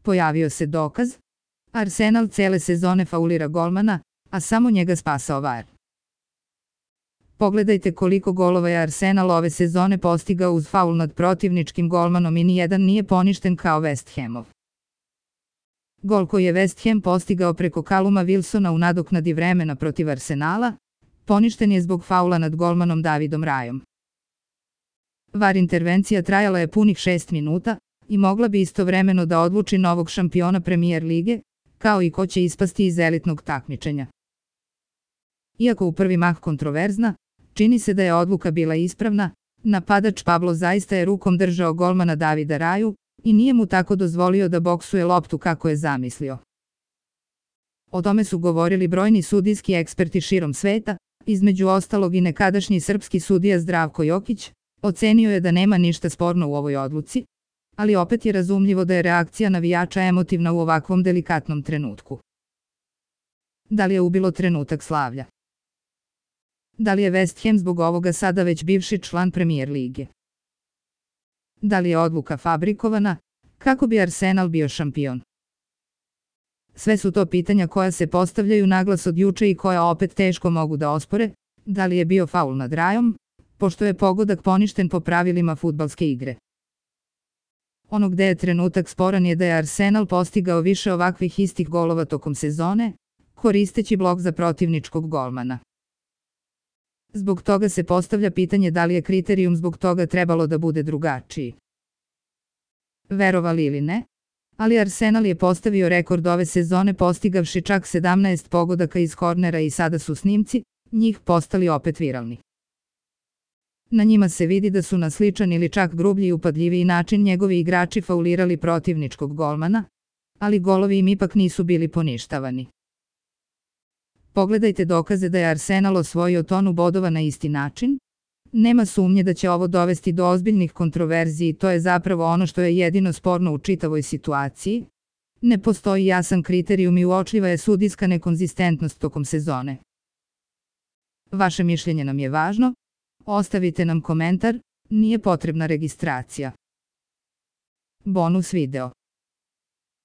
pojavio se dokaz. Arsenal cele sezone faulira golmana, a samo njega spasao VAR. Pogledajte koliko golova je Arsenal ove sezone postigao uz faul nad protivničkim golmanom i nijedan nije poništen kao West Hamov. Gol koji je West Ham postigao preko Calluma Wilsona u nadoknadi vremena protiv Arsenala, poništen je zbog faula nad golmanom Davidom Rajom. VAR intervencija trajala je punih 6 minuta i mogla bi istovremeno da odluči novog šampiona Premier lige, kao i ko će ispasti iz elitnog takmičenja. Iako u prvi mah kontroverzna, čini se da je odluka bila ispravna, napadač Pablo zaista je rukom držao golmana Davida Raju i nije mu tako dozvolio da boksuje loptu kako je zamislio. O tome su govorili brojni sudijski eksperti širom sveta, između ostalog i nekadašnji srpski sudija Zdravko Jokić, ocenio je da nema ništa sporno u ovoj odluci, ali opet je razumljivo da je reakcija navijača emotivna u ovakvom delikatnom trenutku. Da li je ubilo trenutak slavlja? Da li je West Ham zbog ovoga sada već bivši član Premier lige? Da li je odluka fabrikovana, kako bi Arsenal bio šampion? Sve su to pitanja koja se postavljaju naglas od juče i koja opet teško mogu da ospore, da li je bio faul nad Rajom, pošto je pogodak poništen po pravilima fudbalske igre. Ono gde je trenutak sporan je da je Arsenal postigao više ovakvih istih golova tokom sezone, koristeći blok za protivničkog golmana. Zbog toga se postavlja pitanje da li je kriterijum zbog toga trebalo da bude drugačiji. Verovali ili ne, ali Arsenal je postavio rekord ove sezone postigavši čak 17 pogodaka iz kornera i sada su snimci, njih postali opet viralni. Na njima se vidi da su na sličan ili čak grublji i upadljiviji način njegovi igrači faulirali protivničkog golmana, ali golovi im ipak nisu bili poništavani. Pogledajte dokaze da je Arsenal osvojio tonu bodova na isti način. Nema sumnje da će ovo dovesti do ozbiljnih kontroverziji i to je zapravo ono što je jedino sporno u čitavoj situaciji. Ne postoji jasan kriterijum i uočljiva je sudijska nekonzistentnost tokom sezone. Vaše mišljenje nam je važno. Ostavite nam komentar, nije potrebna registracija. Bonus video.